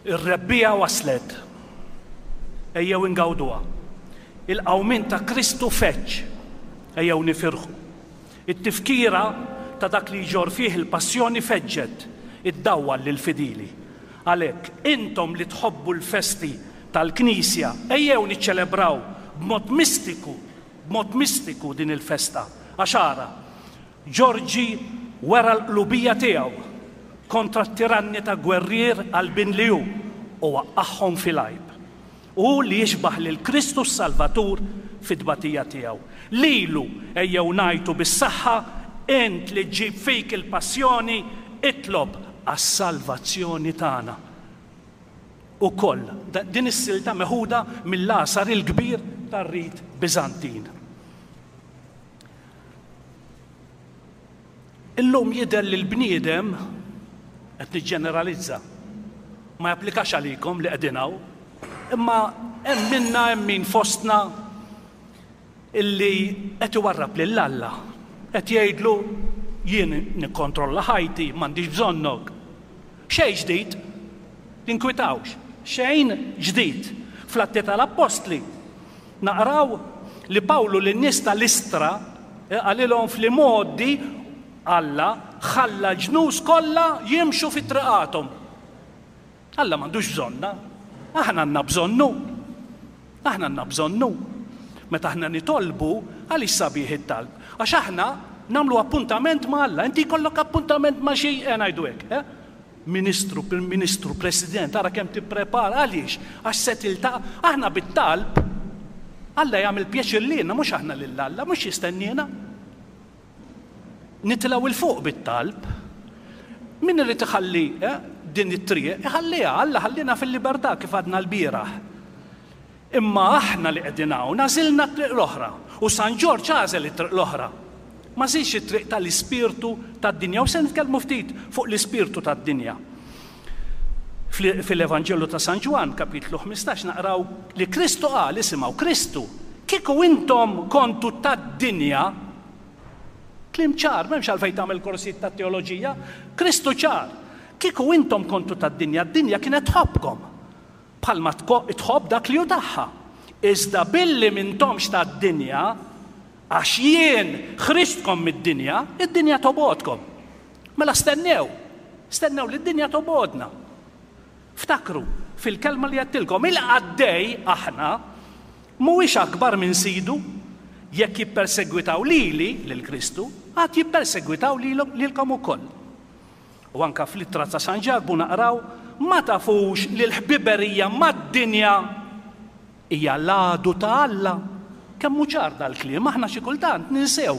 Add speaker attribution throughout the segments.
Speaker 1: Ir-rebbiegħa waslet. Ejjew ingawduha. Il-qawmien ta' Kristu feġġ. Ejjew nifirħu. It-tifkira ta' dak li jġorr fih il-passjoni feġġet, iddawwal lill-fidili. Għalhekk, intom li tħobbu l-festi tal-Knisja, ejjew niċċelebraw b'mod mistiku, b'mod mistiku din il-festa. Għax ara, Ġorġi wera l-qlubija tiegħu kontra t-tiranni ta' gwerrier qalbien li hu u waqqagħhom fil-għajb. Hu li jixbah lil Kristu s-Salvatur fit-tbatija tiegħu. Lilu ejjew ngħajtu bis-saħħa, Int li ġġib fik il-passjoni, itlob għas-salvazzjoni tagħna. Ukoll, din is-silta meħuda mill-għasar il-kbir tar-rit Biżantin. Illum jidher li l-bniedem, qed niġġeneralizza, ma japplikax għalikom li qegħdin hawn, imma hemm minna hemm min fostna illi qed iwarrab lil Alla, qed jgħidlu jien nikkontrolla ħajti, m'għandix bżonnok. Xejn ġdid, tinkwitawx, xejn ġdid. Fl-Atti tal-Appostli Naqraw li Pawlu lin-nies ta' Listra qalilhom fl-imgħoddi Alla ħalla l-ġnus kollha jimxu fi triqathom. Alla m'għandux bżonna. Aħna għandna bżonnu. Aħna għandna bżonnu. Meta aħna nitolbu, għaliex sabiħ it-talb? Għax aħna nagħmlu appuntament ma' Alla. Inti jkollok appuntament ma' xi, eh ngħidu hekk, eh? Ministru, Prim Ministru, President, ara kemm tipprepara, għaliex? Għax se tiltaqa', aħna bit-talb, Alla jagħmel pjaċir lilna, mhux aħna lil Alla, mhux jistenniena. Nitilgħu 'l fuq bit-talb. Min irid iħalli eh, din it-triq, iħalliha, Alla ħallina fil-libertà kif għadna l-bieraħ. Imma aħna li qegħdin hawn għażilna t-triq l-oħra. U San Ġorġ għażel it-triq l-oħra. M'għażilx it-triq tal-ispirtu tad-dinja. U se nitkellmu ftit fuq l-ispirtu tad-dinja. Fil-Evanġelju ta' San Ġwann, kapitlu 15, naqraw li Kristu qal, isimgħu, Kristu, kieku intom kontu tad-dinja, kliem ċar, m'hemmx għalfejn tagħmel korsijiet ta' teoloġija, Kristu ċar, kieku intom kontu tad-dinja, d-dinja kienet tħobbkom. Bħalma tħobb dak li hu tagħha. Iżda billi m'intomx tad-dinja, għax jien ħriġtkom mid-dinja, id-dinja tobgħodkom. Mela stennew, stennew li d-dinja tobgħodna. Ftakru fil-kelma li għedtilkom, il-qaddej aħna mhuwiex akbar minn sidu, jekk jippersegwitaw lili, lil Kristu, għad jippersegwitaw lilkom ukoll. U anke fl-ittra ta' San Ġakbu naqraw, Ma tafux li l-ħbiberija mad-dinja hija l-għadu ta' Alla? Kemm hu ċar dal-kliem, aħna xi kultant ninsew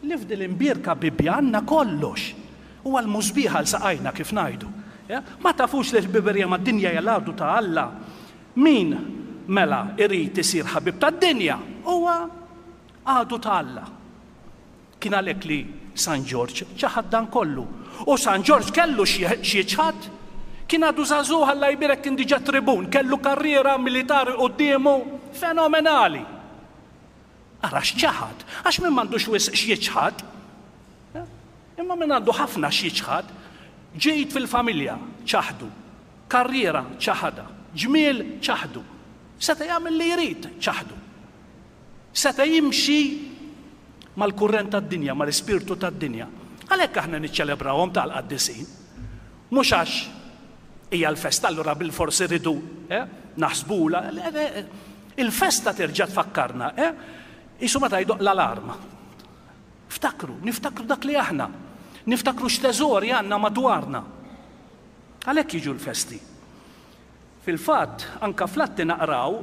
Speaker 1: li f'din l-imbierka Bibbja għandna kollox. Huwa l-musbieħ għal saqajna kif ngħidu. Ma tafux li l-ħbiberija mad-dinja hija l-għadu ta' Alla? Min, mela, irid isir ħabib tad-dinja huwa għadu ta' Alla. Kien għalhekk li San Ġorġ ċaħad dan kollu. U San Ġorġ kellu x'jiċħad. Kien għadu żagħżugħ Alla jbierek kien diġà tribun, kellu karriera militari quddiemu fenomenali. Ara x'ċaħad, għax min m'għandux wisq x'jiċħad, eh, imma min għandu ħafna x'jiċħad, ġid fil-familja ċaħdu, karriera ċaħadha, ġmiel ċaħdu, seta' jagħmel li jrid ċaħdu. Seta' jimxi mal-kurrent tad-dinja, mal-ispirtu tad-dinja. Għalhekk aħna niċċelebrawhom tal-qaddisin. Mhux għax hija l-festa allura bilfors irridu eh, naħsbula. Il-festa terġa' tfakkarna, eh? Isu meta jdoq l-alarm. Ftakru, niftakru dak li aħna. Niftakru x'teżori għandna madwarna. Għalhekk jiġu l-festi. Fil-fatt, anke fl-Atti naqraw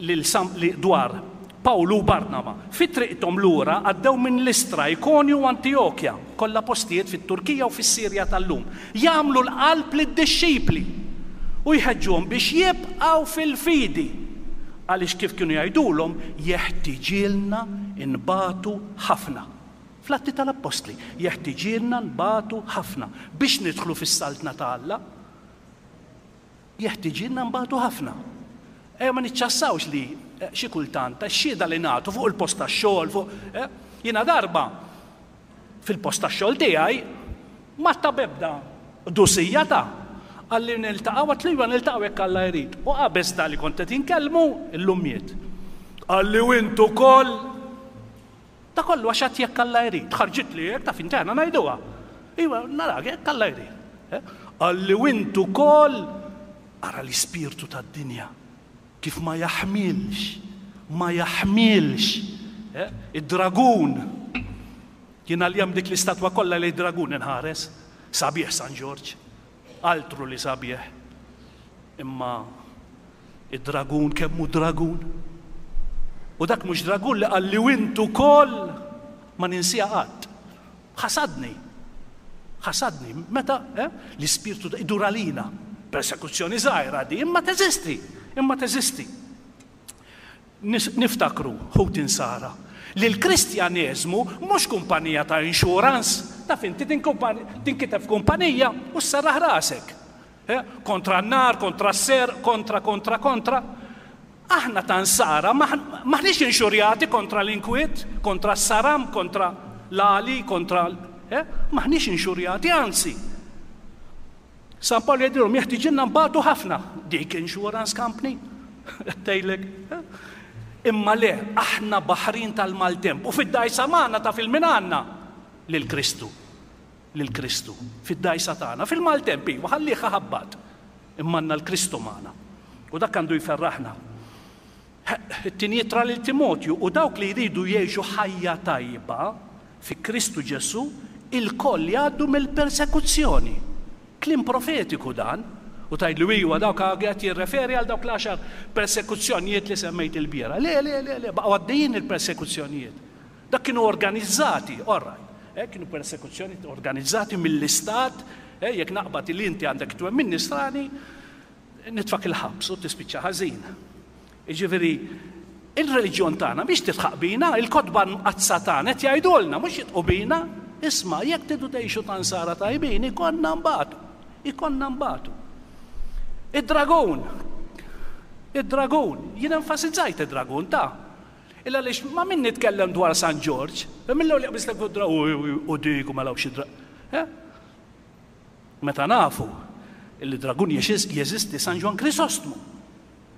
Speaker 1: lil San li dwar Pawlu u Barnaba. Fi triqthom lura għaddew minn Listra, Ikonju u Antijokja, kollha postijiet fit-Turkija u fis-Sirja tal-lum, jagħmlu l-qalb lid-dixxipli u jħeġġuhom biex jibqgħu fil-fidi, għaliex kif kienu jgħidulhom, jeħtiġilna nbatu ħafna. Fl-Atti tal-Appostli, jeħtiġilna nbatu ħafna biex nidħlu fis-Saltna ta' Alla. Jeħtiġilna nbatu ħafna. Ejja ma niċċassawx li eh, xi kultant x-xhieda li nagħtu fuq il-post tax-xogħol fuq eh, jiena darba fil-post tax-xogħol tiegħi ma ta' bebda dusija ta' Qalli niltaqgħu, għedtlu iva niltaqgħu jekk Alla jrid. U qabeż da li kont qed inkellmu, illum miet. Qalli u int ukoll? Da kollu għax għedt jekk Alla jrid. Ħarġitli hekk taf inti aħna ngħiduha. Iva, narak jekk Alla jrid. Eh? Qalli u int ukoll? Ara l-ispirtu tad-dinja kif ma jaħmilx, ma jaħmilx. Eh? Id-dragun. Jien għal dik l-istatwa kollha li dragun inħares. Sabiħ San Ġorġ. Altru li sabiħ. Imma id-dragun kemm hu dragun. U dak mhux dragun li qalli u int ukoll ma ninsiha qatt. Ħasadni. Ħasadni. Meta eh, l-ispirtu idur għalina. Persekuzzjoni żgħira di, imma teżisti, imma teżisti. Niftakru, ħuti Nsara, li l-Kristjaneżmu mhux kumpanija ta' insurance, taf inti tinkiteb f'kumpanija u sserraħ rasek. Kontra n-nar, kontra s-serq, kontra, kontra, kontra. Aħna ta' Nsara m'aħniex inxurjati kontra l-inkwiet, kontra s-saram, kontra l-għali, kontra M'aħniex inxurjati, anzi. San Pawl jgħidilhom jeħtiġilna nbatu ħafna. Dik insurance company, qed tgħidlek. Imma le, aħna baħrin tal-maltemp u fid-dgħajsa magħna taf il-min għandna? Lil Kristu. Lil Kristu. Fid-dgħajsa tagħna. Fil-maltemp iva, ħallih iħabbat. Imma għandna l-Kristu magħna. U dak għandu jferraħna. It-tieni ittra lil Timotju u dawk li jridu jgħixu ħajja tajba fi Kristu Ġesù ilkoll jgħaddu mill-persekuzzjoni. Kliem profetiku dan. U tgħidlu iwa dawk qed jirreferi għal dawk l-għaxar persekuzzjonijiet li semmejt ilbieraħ. Le, le, le, le, baqgħu għaddejjin il-persekuzzjonijiet. Dak kienu organizzati, all right. Eh, kienu persekuzzjoni organizzati mill-istat, eh, jekk naqbad li inti għandek twemmin nisrani, nitfak il-ħabs u tispiċċa ħażin. Jiġifieri, il-reliġjon tagħna mhix tidħaq bina, il-kotba mqaddsa tagħna qed jgħidulna, mhux jidħqu bina, isma' jekk tridu tgħixu ta' nsara tajbin ikollna nbatu. Ikollna nbatu. Id-dragun, id-dragun, jien enfasizzajt id-dragun ta' Illa għaliex ma' min nitkellem dwar San Ġorġ, mill-ewwel jaqbiżlek fuq dragun u dik u mela xi dragun. Eh? Meta nafu li dragun jeżisti San Ġwann Krisostmu.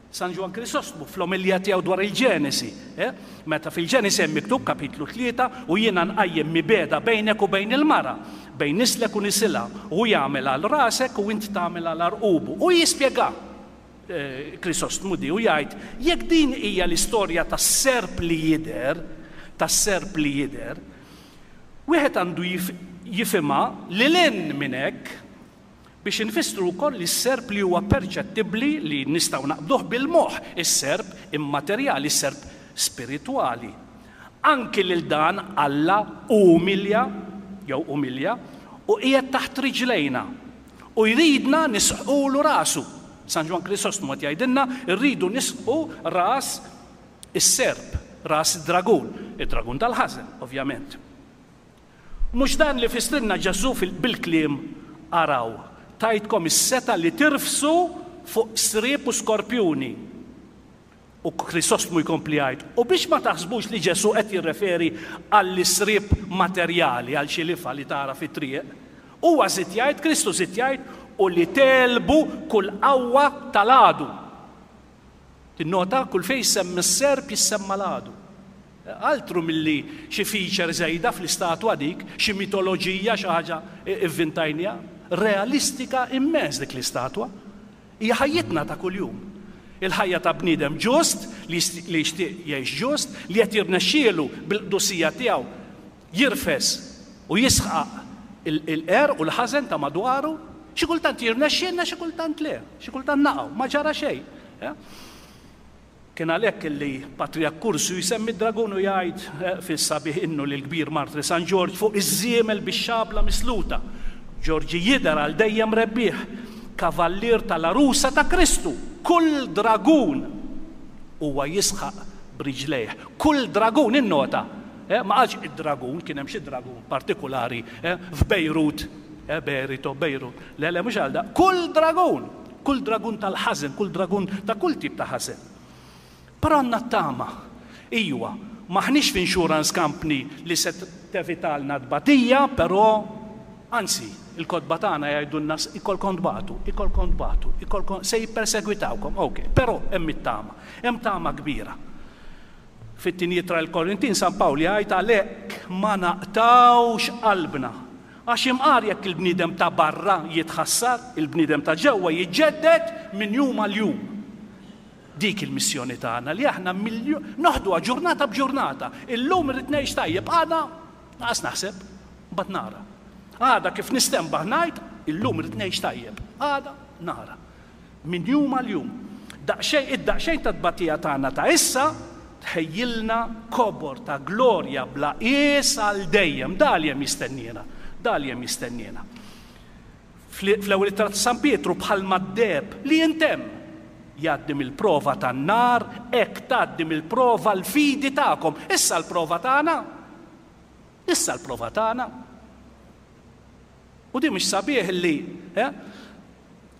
Speaker 1: San Ġwann Krisostmu fl-omelija tiegħu dwar il-Ġenesi, eh? meta fil-Ġenesi hemm miktub kapitlu 3 u jiena nqajjem mibegħda bejnek u bejn il-mara, bejn nislek u nisilha, u hu jagħmel għal rasek u int tagħmel għal għarqubu. U jispjega eh, Krisostmu di u jgħid jekk din hija l-istorja tas-serp li jidher, tas-serp li jidher, Wieħed għandu jifhimha lil hinn minn hekk biex infissru wkoll li s-serp li huwa perċettibbli li nistgħu naqbduh bil-moħħ, is-serp immaterjali, is-serp spiritwali. Anki lil dan Alla umilja jew umilja u qiegħed taħt riġlejna u jridna nisħqulu rasu. San Ġwann Krisostmu qed jgħidilna rridu nisħqu ras Is-serp, ras id-dragun, id-dragun tal-ħażen, ovvjament. Mhux dan li fissrilna Ġesù bil-kliem Araw, tajtkom is-setgħa li tirfsu fuq sriep u skorpjuni. U Krisostmu jkompli jgħid, u biex ma taħsbux li Ġesù qed jirreferi għall-isriep materjali, għal xi lifgħa li tara fit-triq, huwa żied jgħid, Kristu żied jgħid, u li tegħlbu kull qawwa tal-għadu. Tinnota kull fejn jissemmi s-serp jissemma l-għadu. Altru milli xi feature żejda fl-istatwa dik, xi mitoloġija, xi ħaġa ivvintajniha. Realistika immens dik l-istatwa. Hija ħajjitna ta' kuljum. Il-ħajja ta' bniedem ġust li jixtieq jgħix ġust, li qed jirnexxielu bil-qdusija tiegħu jirfes u jisħaq il-qerq u l-ħażen ta' madwaru. Xi kultant jirnexxielna, xi kultant le. Xi kultant naqgħu, ma ġara xejn. Eh? Kien għalhekk li Patriark Kursju jsemmi d-dragun u jgħid eh, fis-sabiħ innu lil kbir Martri San Ġorġ fuq iż-żiemel bix-xabla misluta. Ġorġi jidher għal dejjem rebbieħ, kavallier tal-għarusa ta' Kristu. Kull dragun huwa jisħaq b'riġlejh. Kull dragun, innota, Eh, ma qalx id-dragun, kien hemm xi dragun partikulari eh, f'Bejrut, eh, Berito, Bejrut. Le, le, mhux għal da. Kull dragun, kull dragun tal-ħażen, kull dragun ta' kull tip ta' ħażen. Però għandna t-tama. Ijwa, m'aħniex f'insurance company li se tevitalna tbatija, però anzi, Il-kotba tagħna jgħidulna ikolkom tbatu, ikolkom tbatu, ikolkom se jippersegwitawkom, ok, però hemm it-tama. Hemm tama kbira. Fit-tieni ittra lill-Korintin San Pawl jgħid għalhekk ma naqtgħux qalbna. Għax imqar jekk il-bniedem ta' barra jitħassar, il-bniedem ta' ġewwa jiġġedded minn jum għal jum. Dik il-missjoni tagħna li aħna noħduha ġurnata b'ġurnata. Illum irrid ngħix tajjeb, għada lanqas naħseb, mbagħad nara. Għada kif nistenbaħ ngħid, illum irrid ngħix tajjeb, għada nara. Minn jum għal jum. Daqsxejn, id-daqsxejn ta' tbatija tagħna ta' issa tħejjilna kobor ta' glorja bla qies għal dejjem. Da li hemm jistenniena. Da li hemm jistenniena. Fl-ewwel ittra ta' San Pietru bħalma d-deheb li jintemm jgħaddi mill-prova tan-nar, hekk tgħaddi mill-prova l-fidi tagħkom. Issa l-prova tagħna. Issa l-prova tagħna. U din mhix sabiħ li eh,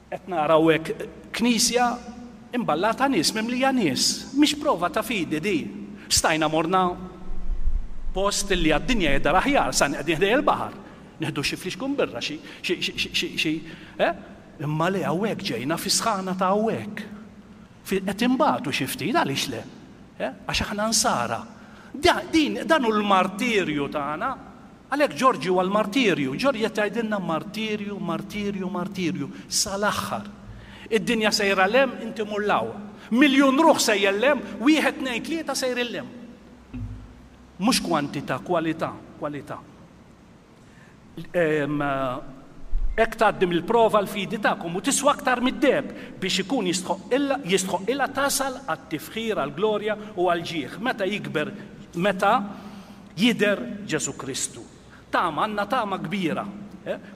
Speaker 1: qed naraw hekk knisja imballata nies, mimlija nies. Mhix prova ta' fidi di. Stajna morna post li għad-dinja jidher aħjar, sa qegħdin ħdej il-baħar. Nieħdu xi flixkun birra, xi xi xi xi xi eh? Imma le hawnhekk ġejna fi sħana ta' hawnhekk. Qed inbatu xi ftit għaliex le? Eh? Għax aħna nsara. Din dan hu l-martirju tagħna. Għalhekk Ġorġi huwa l-martirju. Ġorġi qed jgħidilna martirju, martirju, martirju, sal-aħħar. Id-dinja sejra 'l hemm, inti mur 'l hawn. Miljun ruħ sejjer 'l hemm, wieħed, tnejn, tlieta sejrin 'l hemm. Mhux kwantità, kwalità, kwalità. Hekk tgħaddi mill-prova l-fidi tagħkom u tiswa aktar mid-deheb biex ikun jistħoqqilha tasal għat-tifħir, għall-glorja u għall-ġieħ meta jikber meta jidher Ġesù Kristu. Tama, għandna tama kbira.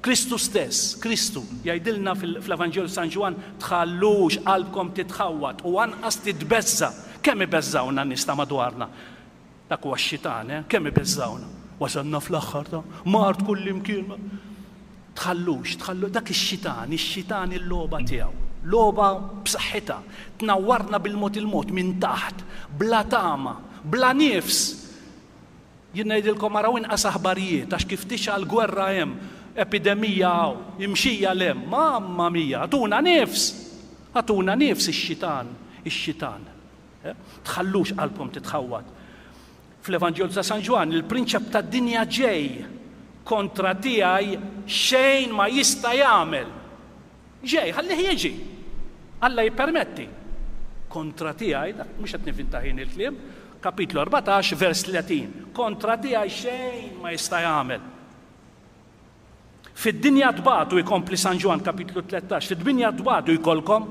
Speaker 1: Kristu stess, Kristu, jgħidilna fl-Evanġelju San Ġwann, tħallux qalbkom titħawwad u anqas titbeżża'. Kemm ibeżżgħuna n-nies ta' madwarna? Dak huwa x-xitan, eh? Kemm ibeżżgħuna. Wasalna fl-aħħar ta' mard kullimkien. Tħallux, tħallu dak ix-xitan, ix-xitan il-logħba tiegħu. Logħba b'saħħitha. Tnawwarna bil-mod il-mod minn taħt, bla tama, bla nifs. Jien ngħidilkom araw inqas aħbarijiet għax kif tixgħal gwerra hemm, epidemija hawn, imxija 'l hemm, mamma mia, agħtuna nifs! Agħtuna nifs ix-xitan, ix-xitan. Tħallux qalbkom titħawwad. Fl-Evanġelju ta' San Ġwann, il-prinċep tad-dinja ġej, kontra tiegħi xejn ma jista' jagħmel. Ġej, ħallih jiġi. Alla jippermetti. Kontra tiegħi, dak mhux qed nivvinta ħin il-kliem, kapitlu 14, vers 30. Kontra tiegħi xejn ma jista' jagħmel. Fid-dinja tbatu, ikompli San Ġwann kapitlu 13, fid-dinja tbatu jkollkom,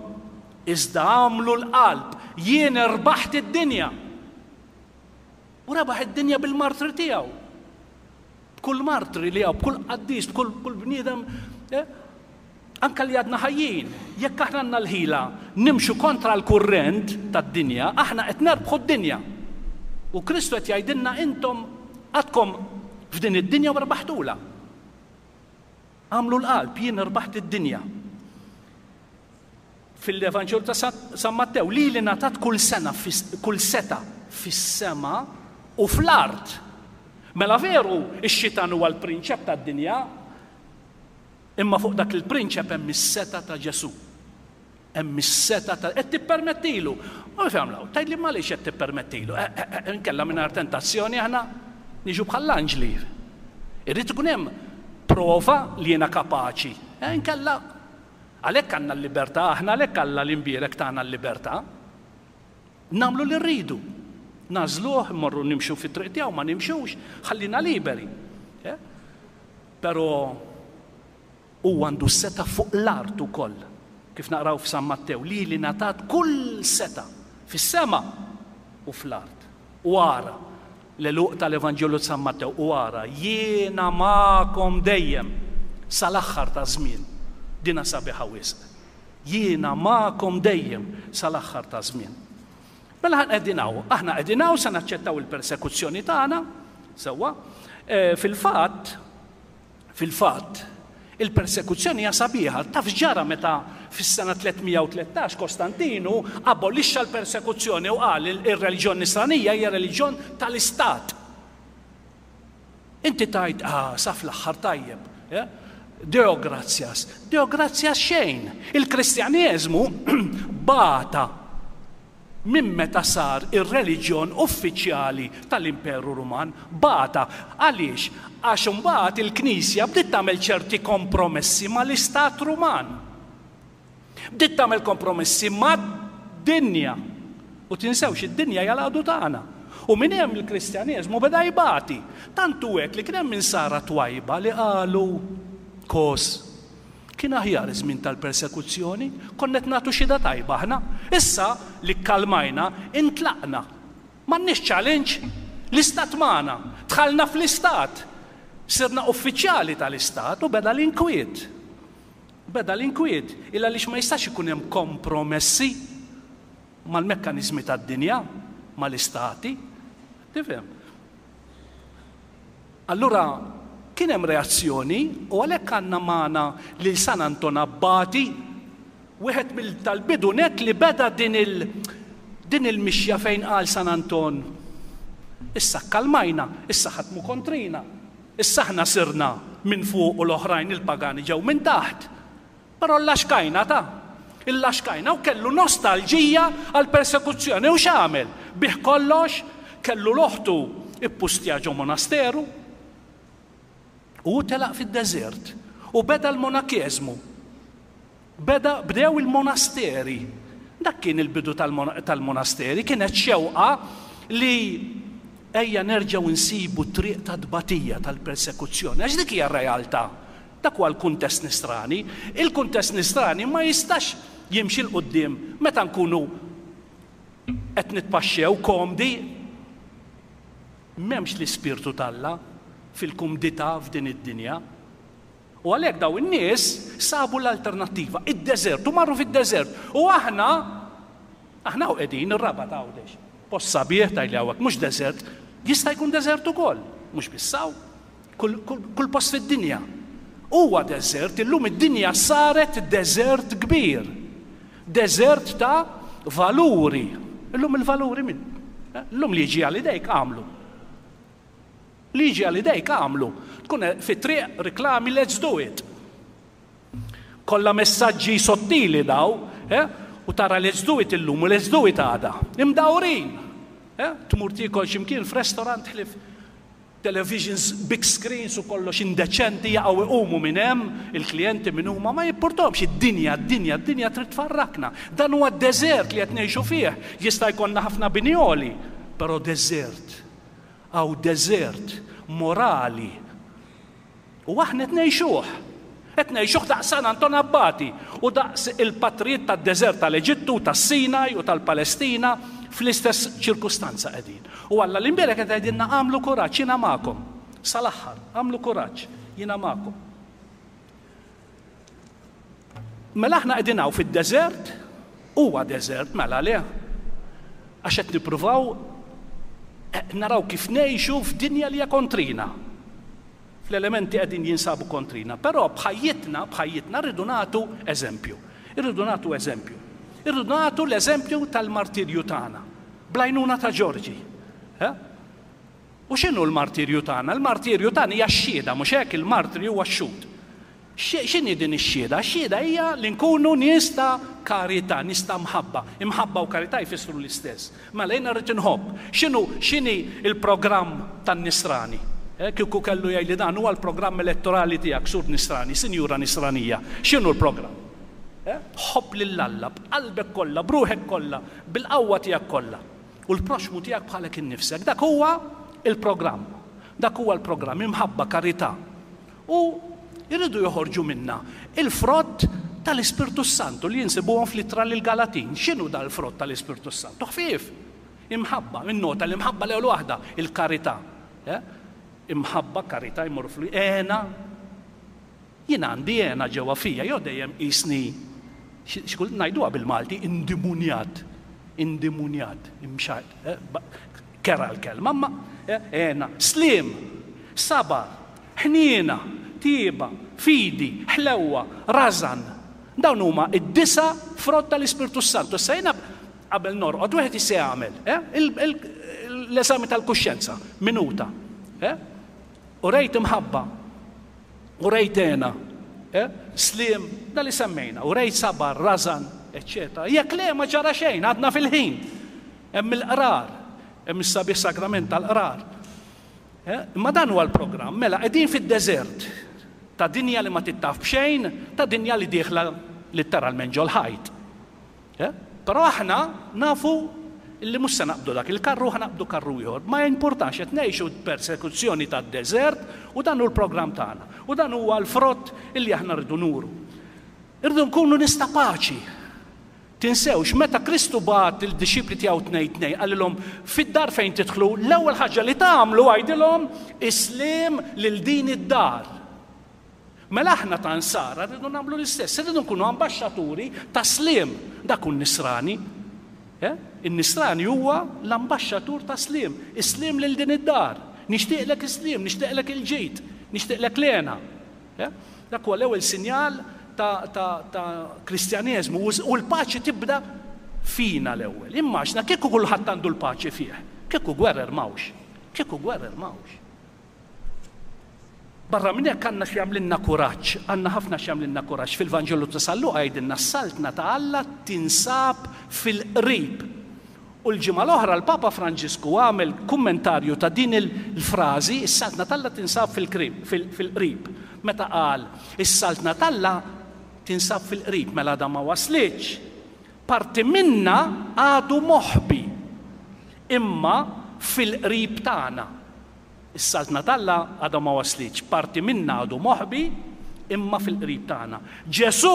Speaker 1: iżda agħmlu l-qalb, jien irbaħt id-dinja. U rebaħ id-dinja bil-martri tiegħu. B'kull martri li hawn, b'kull qaddis, b'kull kull bniedem, eh? anka li għadna ħajjin, jekk aħna għandna l-ħila nimxu kontra l-kurrent tad-dinja, aħna qed nerbħu d-dinja. U Kristu qed jgħidilna intom għadkom f'din id-dinja u rbaħtulha. Agħmlu l-qalb, jien rbaħt id-dinja. Fil-Evanġelju ta' San Mattew, lili ngħatat kull sena, kull seta' fis-sema u fl-art. Mela veru, ix-xitan huwa l-prinċep tad-dinja, imma fuq dak il-prinċep hemm is-setgħa ta' Ġesù. Hemm is-setgħa ta' qed tippermettilu. U kif jagħmlu? Tgħidli imma għaliex qed tippermettilu? Eh, eh, eh, inkella mingħajr tentazzjoni aħna niġu bħall-anġli. Irrid ikun hemm prova li jiena kapaċi. Eh, inkella għalhekk għandna l-libertà, aħna għalhekk Alla l-imbierek tagħna l-libertà. Nagħmlu li rridu. Nagħżluh, immorru nimxu fit-triq tiegħu, ma nimxux, ħallina liberi. Eh? Però Huwa għandu s-setgħa fuq l-art ukoll, kif naqraw f'San Mattew, Lili ngħatat kull setgħa fis-sema u fl-art. U ara, l-għeluq tal-Evanġelju ta' San Mattew, u ara, jiena magħkom dejjem sal-aħħar taż-żmien. Dinha sabiħa wisq. Jiena magħkom dejjem sal-aħħar taż-żmien. Mela aħna qegħdin hawn, aħna qegħdin hawn se naċċettaw il-persekuzzjoni tagħna, sewwa. Eh, fil-fatt, Fil-fatt, il-persekuzzjoni hija sabiħa. Taf x'ġara meta fis-sena 313 Kostantinu abolixxa l-persekuzzjoni u qal ir-reliġjon nisranija hija reliġjon tal-istat. Inti tgħid, ah, sa fl-aħħar tajjeb. Eh? Deo gratias. Deo gratias xejn. Il-Kristjaneżmu bata minn meta sar ir-reliġjon uffiċjali tal-Imperu Ruman. Bata. Għaliex? Għax imbagħad il-Knisja bdiet tagħmel ċerti kompromessi mal-Istat Ruman. Bdiet tagħmel kompromessi mad-dinja. U tinsewx id-dinja hija l-għadu tagħna. U minn hemm il-Kristjaneżmu beda jbati. Tant hu hekk li kien hemm insara twajba li qalu, Kos, kien aħjar iż-żmien tal-persekuzzjoni, konna qed nagħtu xhieda tajba aħna. Issa li kkalmajna, intlaqna. M'għandniex challenge. L-istat magħna. Dħalna fl-istat. Sirna uffiċjali tal-istat u beda l-inkwiet. Beda l-inkwiet, il għaliex ma jistax ikun hemm kompromessi mal-mekkaniżmi tad-dinja, mal-istati. Tifhem? Allura kien hemm reazzjoni u għalhekk għandna magħna lil San Anton Abbati, wieħed mill tal-bidu nett li beda din il din il-mixja fejn qal San Anton, issa kkalmajna, issa ħadd mhu kontrina. Issa aħna sirna minn fuq u l-oħrajn il-pagani ġew minn taħt. Però llaxkajna ta'. Illaxkajna u kellu nostalġija għall-persekuzzjoni u x'għamel? Biegħ kollox, kellu 'l oħtu ippustja ġo monasteru u hu telaq fid-deżert u beda l-monakeżmu. Beda, bdew il-monasteri. Dak kien il-bidu tal-monasteri, kienet xewqa li ejja nerġgħu nsibu t-triq tat-tbatija, tal-persekuzzjoni, għax dik hija r-realtà. Dak huwa l-kuntest nisrani. Il-kuntest nisrani ma jistax jimxi 'l quddiem meta nkunu qed nitpaxxew komdi. M'hemmx l-Ispirtu t'Alla fil-kumdità f'din id-dinja. U għalhekk dawn in-nies sabu l-alternattiva, id-deżert, u marru fid-deżert. U aħna, aħna hawn qegħdin, ir-Rabat Għawdex. Post sabiħ tgħidli hawnhekk, mhux deżert. Jista' jkun deżert ukoll, mhux biss hawn, kull, kull, kull post fid-dinja. Huwa deżert, illum id-dinja saret deżert kbir. Deżert ta' valuri. Illum il-valuri min? Illum li jiġi għal idejk għamlu. Li jiġi għal idejk agħmlu. Tkun fit-triq riklami let's do it. Kollha messaġġi sottili daw, eh? U tara let's do it illum u let's do it għada. Imdawrin. Eh? Tmur tiekol x'imkien f'restaurant ħlief televisions, big screens u kollox indeċenti jaqgħu iqumu minn hemm il-klijenti min huma ma jippurtomx id-dinja, d-dinja, d-dinja trid tfarrakna. Dan huwa d-deżert li qed ngħixu fih. Jista' jkollna ħafna bini għoli, però deżert. Hawn deżert morali. U aħna qed ngħixuh. Qed ngħixuh daqs San Anton Abbati u daqs il-patrijiet tad-deżert tal-Eġittu, tas-Sinaj u tal-Palestina fl-istess ċirkustanza qegħdin. U Alla l-Imbierek qed jgħidilna agħmlu kuraġġ, jiena magħkom. Sal-aħħar, agħmlu kuraġġ, jiena magħkom. Mela aħna qegħdin hawn fid-deżert, huwa deżert mela le? Għax qed nippruvaw eh, naraw kif ngħixu f'dinja li hija kontrina. Fl-elementi qegħdin jinsabu kontrina, però b'ħajjitna, b'ħajjitna rridu nagħtu eżempju. Irridu nagħtu eżempju. Irridu nagħtu l-eżempju tal-martirju tagħna. Blajnuna ta' Ġorġi. Eh? U x'inhu l-martirju tagħna? Il-martirju tagħna hija x-xhieda, mhux hekk? Il-martri huwa x-xhud. X'inhi din ix-xhieda? Ix-xhieda hija li nkunu nies ta' karità, nies ta' mħabba. Imħabba u karità jfissru l-istess. Mela jiena rrid inħobb. X'inhu x'inhi l-programm tan-Nisrani? Eh, kieku kellu jgħidli dan huwa l-programm elettorali tiegħek, Sur Nisrani, Sinjura Nisranija. X'inhu l-programm? Eh? Ħobb lil Alla b'qalbek kollha, b'ruħek kollha, bil-qawwa tiegħek kollha. U l-proxxmu tiegħek bħalek innifsek. Dak huwa l-programm. Dak huwa l-programm, imħabba, karità. U jridu joħorġu minna il-frott tal-Ispirtu s-Santu li jinsibuhom fl-ittra lill-Galatin. X'inhu dal-frott tal-Ispirtu s-Santu? Ħfief. Imħabba, innota l-imħabba l-ewwel waħda, il-karità. Eh? Imħabba, karità jmorru fl Għena, Jien għandi hena ġewwa fija, jew dejjem qisni, xi kultant ngħiduha bil-Malti, indimunjat, indimunjat, imxajt, kerha l-kelma, imma hena, sliem, sabar, ħniena, tjieba, fidi, ħlewwa, rażan. Dawn huma d-disa' frott tal-Ispirtu s-Santu. Issa jiena qabel norqod wieħed jista' jagħmel l-eżami tal-kuxjenza, minuta. Urejt imħabba, urejt hena. eh, sliem, da li semmejna, u rejt sabar, rażan, eċċetera. Jekk le ma ġara xejn, għadna fil-ħin. Hemm il-qrar, hemm is-sabiħ sagrament tal-qrar. Eh, imma dan huwa l-programm, mela qegħdin fid-deżert ta' dinja li ma tittaf b'xejn, ta' dinja li dieħla litteralment ġol-ħajt. Eh? Però aħna nafu li mhux se naqbdu dak il-karru, ħa naqbdu karru ieħor. Ma jimpurtax qed ngħixu persekuzzjoni tad-deżert u dan hu l-programm tagħna. U dan huwa l-frott illi aħna rridu nuru. Irridu nkunu nies ta' paċi. Tinsewx, meta Kristu bagħat il-dixxipli tiegħu tnejn tnejn, qalilhom fid-dar fejn tidħlu, l-ewwel ħaġa li tagħmlu għidilhom is-sliem lil din id-dar. Mela aħna ta' Nsara rridu nagħmlu l-istess, irridu nkunu ambaxxaturi ta' sliem. Dak hu n-Nisrani. Eh? In-Nisrani huwa l-ambaxxatur ta' sliem, is-sliem lil din id-dar. Nixtieqlek is-sliem, nixtieqlek il-ġid, nixtieqlek l-hena. Eh? Dak huwa l-ewwel sinjal ta', ta, ta Kristjaneżmu u l-paċi tibda fina l-ewwel. Immaġna kieku kulħadd għandu l-paċi fih, kieku gwerer m'hawnx. Kieku gwerer m'hawnx. Barra minn hekk għandna x'jagħmlilna kuraġġ, għandna ħafna x'jagħmlilna kuraġġ. Fil-Vanġelu ta' San Luqa jgħidilna s-Saltna ta' Alla tinsab fil-qrib. U l-ġimgħa l-oħra l-Papa Franġisku għamel kummentarju ta' din il-frażi, is-Saltna t'Alla tinsab fil-qrib. Meta qal, is-Saltna t'Alla tinsab fil-qrib, mela għadha ma waslitx. Parti minnha għadu moħbi, imma fil-qrib tagħna. Is-Saltna t'Alla għadha ma waslitx, parti minnha għadu moħbi, imma fil-qrib tagħna. Ġesù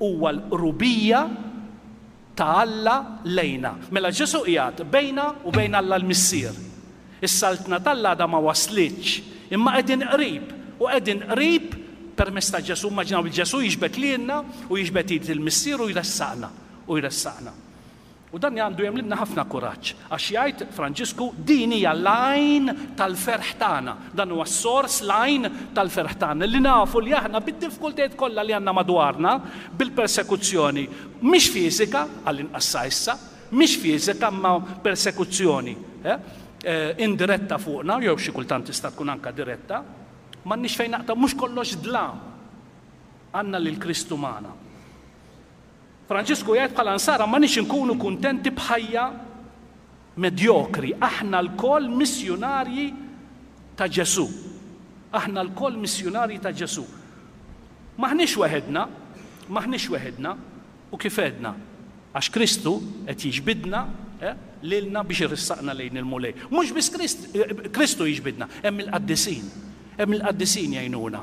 Speaker 1: huwa l-qrubija ta' Alla lejna. Mela Ġesù qiegħed bejna u bejn Alla l-Missier. Is-Saltna t'Alla għadha ma waslitx, imma qegħdin qrib, u qegħdin qrib permezz ta' Ġesù. Immaġinaw li Ġesù jiġbed lilna u jiġbed id il-Missier u jressaqna, u jressaqna. U dan għandu jagħmlilna ħafna kuraġġ, għax jgħid Franġisku, din hija l-għajn tal-ferħ tagħna. Dan huwa s-sors, l-għajn tal-ferħ tagħna, li nafu li aħna bid-diffikultajiet kollha li għandna madwarna, bil-persekuzzjoni, mhix fiżika, għall-inqas sa issa, mhix fiżika imma persekuzzjoni indiretta fuqna, jew xi kultant tista' tkun anke diretta, m'għandniex fejn naqtgħu, mhux kollox dlam. Għandna lil Kristu magħna. Franġisku jgħid bħala Nsara m'għandniex inkunu kuntenti b'ħajja medjokri. Aħna lkoll missjunarji ta' Ġesù. Aħna lkoll missjunarji ta' Ġesù. M'aħniex weħidna, m'aħniex weħidna, u kif għedna, għax Kristu qed jiġbidna eh, lilna biex iressaqna lejn il-Mulej. Mhux biss Kristu jiġbidna, hemm il-qaddisin. Hemm il-qaddisin jgħinuna.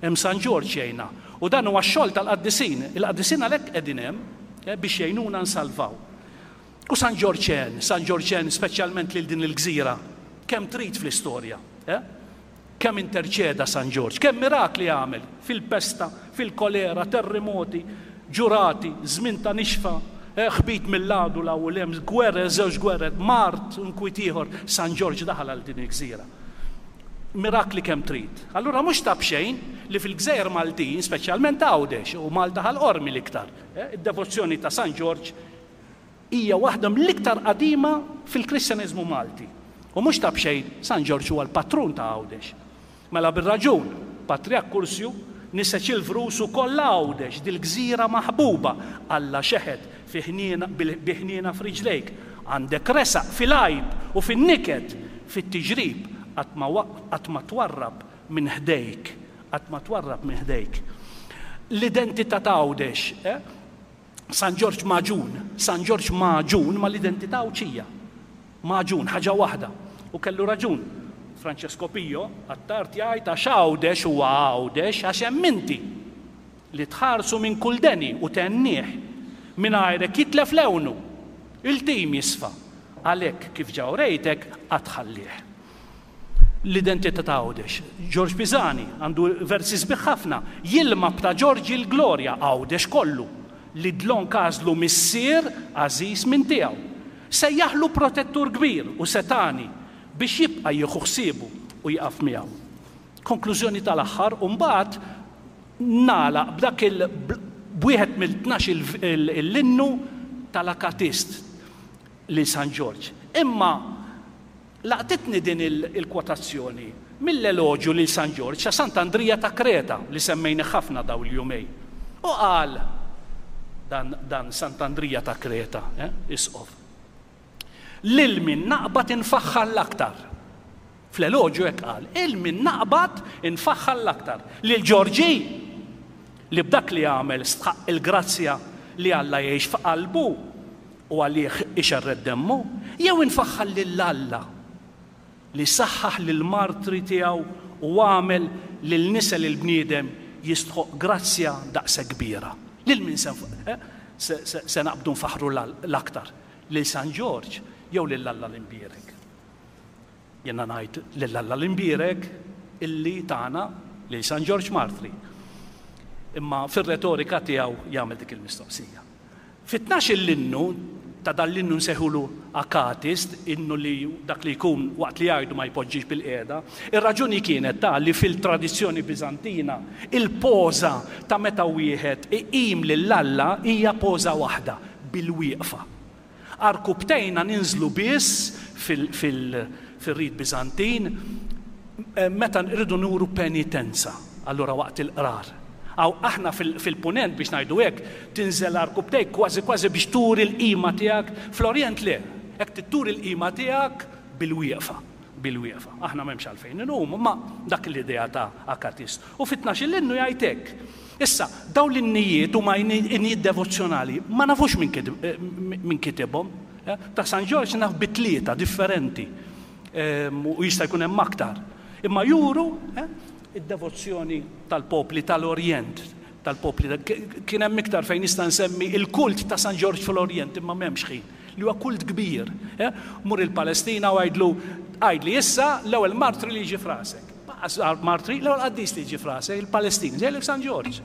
Speaker 1: Hemm San Ġorġ jgħinna. U dan huwa x-xogħol tal-qaddisin. Il-qaddisin għalhekk qegħdin hemm eh, biex jgħinuna nsalvaw. U San Ġorġ għen, San Ġorġ għen speċjalment lil din il-gżira. Kemm trid fl-istorja. Eh? Kemm interċeda San Ġorġ, kemm mirakli għamel fil-pesta, fil-kolera, terremoti, ġurati, żmien ta' nixfa, eh, ħbit mill-għadu 'l hawn u 'l hemm, gwerer, żewġ gwerer, mard, inkwiet ieħor, San Ġorġ daħal għal din il-gżira. Mirakli kemm trid. Allura mhux ta' b'xejn li fil-gżejjer Maltin, speċjalment Għawdex u Malta Ħal Qormi l-iktar, id-devozzjoni ta' San Ġorġ hija waħda mill-iktar qadima fil-Kristjaneżmu Malti. U mhux ta' b'xejn San Ġorġ huwa l-patrun ta' Għawdex. Mela bir-raġun, Patriark Kursju niseġ il-vrus ukoll Għawdex, dil-gżira maħbuba, Alla xeħet fi ħniena, bi ħniena f'riġlejk. Għandek resaq fil-għajb u fin-niket, fit-tiġrib, qatt ma qatt ma twarrab minn ħdejk, qatt ma twarrab minn ħdejk. L-identità ta' Għawdex, eh? San Ġorġ magħġun, San Ġorġ magħġun mal-identità Għawdxija. Magħġun, ħaġa waħda. U kellu raġun Francesco Pio, Attard jgħid għax Għawdex huwa Għawdex għax hemm inti li tħarsu minn kull deni u thennih. Mingħajrek jitlef lewnu. Il-tim jisfa. Għalhekk kif ġa urejtek qatt tħallih. L-identità ta' Għawdex. Ġorġ Pisani għandu versi sbieħ ħafna. Jilma b'ta' Ġorġi l-glorja, Għawdex kollu, li dlonk għażlu missier għażiż minn tiegħu. Sejjaħlu protettur kbir u setgħani biex jibqa' jieħu ħsiebu u jieqaf miegħu. Konklużjoni tal-aħħar u mbagħad nagħlaq b'dak il b'wieħed mill-tnax il-innu tal-Akatist lil San Ġorġ. Imma Laqtitni din il-kwotazzjoni. mill-eloġju lil San Ġorġ ta' Sant'Andrija ta' Kreta li semmejnih ħafna dawn il-jumejn. U qal dan, dan Sant'Andrija ta' Kreta, eh, isqof, Lil min naqbad infaħħar l-aktar? Fl-eloġju hekk qal, 'Il min naqbad infaħħar l-aktar? Lil Ġorġi, li b'dak li għamel stħaqq il-grazzja li Alla jgħix f'qalbu u għalih ixerred demmu, jew infaħħar lil Alla, li saħħaħ lill-martri tiegħu u għamel lil nisel il-bniedem jistħoqq grazzja daqshekk kbira? Lil min se se naqbdu nfaħħru l-aktar? Lil San Ġorġ jew lil Alla l-Imbierek? Jiena ngħid lil Alla l-Imbierek illi tana lil San Ġorġ Martri. Imma fir-retorika tiegħu jagħmel dik il-mistoqsija. Fit-tnax-il innu ta' dan l-innu nsejħulu akatist, innu li dak li jkun waqt li jgħidu ma jpoġġix bilqiegħda. Ir-raġuni kienet ta' li fil-tradizzjoni Biżantina il-poża ta' meta wieħed iqim lil Alla hija poża waħda, bil-wieqfa. Għarkupptejna ninżlu biss fir-rit Biżantin meta rridu nuru penitenza, allura waqt il-qrar. Hawn aħna fil-Punent, biex ngħidu hekk, tinżel għarkupptejk kważi kważi biex turi l-qima tiegħek, fl-Orjent le, hekk trid turi l-qima tiegħek bil-wieqfa, bil-wieqfa. Aħna m'hemmx għalfejn inqumu, imma dak l-idea ta' Akatist. U fit-tnax-il innu jgħid hekk, Issa, dawn l-innijiet huma innijiet devozzjonali, ma nafux min kitibhom. Ta' San Ġorġ naf bi tlieta differenti u jista' jkun hemm aktar. Imma juru id-devozzjoni tal-popli tal-Orjent, tal-popli kien hemm iktar fejn nista' nsemmi il-kult ta' San Ġorġ fl-Orjent imma m'hemmx ħin, li huwa kult kbir. Mur il-Palestina u għidlu għidli issa l-ewwel martri li jiġi f'rasek. Martri, l-ewwel qaddis li jiġi f'rasek, il-Palestin, jgħidlek San Ġorġ.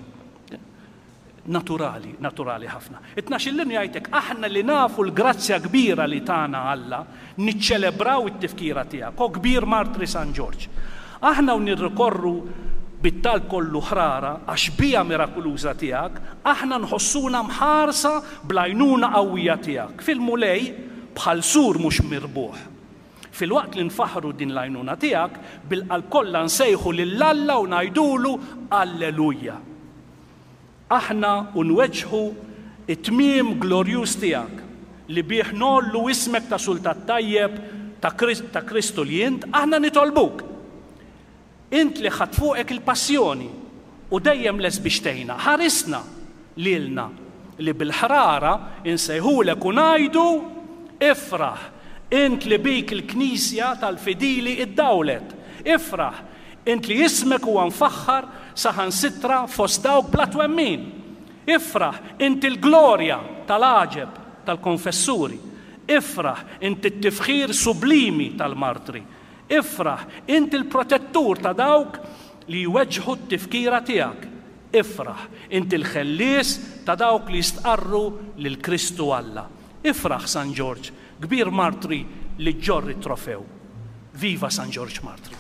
Speaker 1: Naturali, naturali ħafna. It-tnax-il innu jgħidlek aħna li nafu l-grazzja kbira li tana Alla, niċċelebraw it-tifkira tiegħek, o kbir martri San Ġorġ. Aħna u nirrikorru bit-talb kollu ħrara għax-xbieha mirakuluża tiegħek, aħna nħossuna mħarsa bl-għajnuna qawwija tiegħek fil-Mulej bħal sur mhux mirbuħ. Filwaqt li nfaħħru din l-għajnuna tiegħek, bil-qalb kollha nsejħu lil Alla u ngħidulu, Alleluja! Aħna u nweġġħu t-tmiem glorjuż tiegħek, li bih ngħollu ismek ta' Sultat tajjeb ta' Kristu li int, aħna nitolbuk! Int li ħadt fuqek il-passjoni u dejjem lest biex tgħinna, ħarisna lilna li bil-ħrara insejħulek u ngħidu, Ifraħ, int li bik il-Knisja tal-fidili iddawlet, ifraħ, int li ismek huwa mfaħħar saħansitra fost dawk bla twemmin! Ifraħ, int il-glorja tal-għaġeb tal-konfessuri! Ifraħ, int it-tifħir sublimi tal-martri! Ifraħ, int il-protettur ta' dawk li jweġġħu t-tifkira tiegħek. Ifraħ, int il-ħellies ta' dawk li jistqarru lil Kristu Alla. Ifraħ, San Ġorġ, kbir martri li ġġorr it-trofew. Viva San Ġorġ Martri!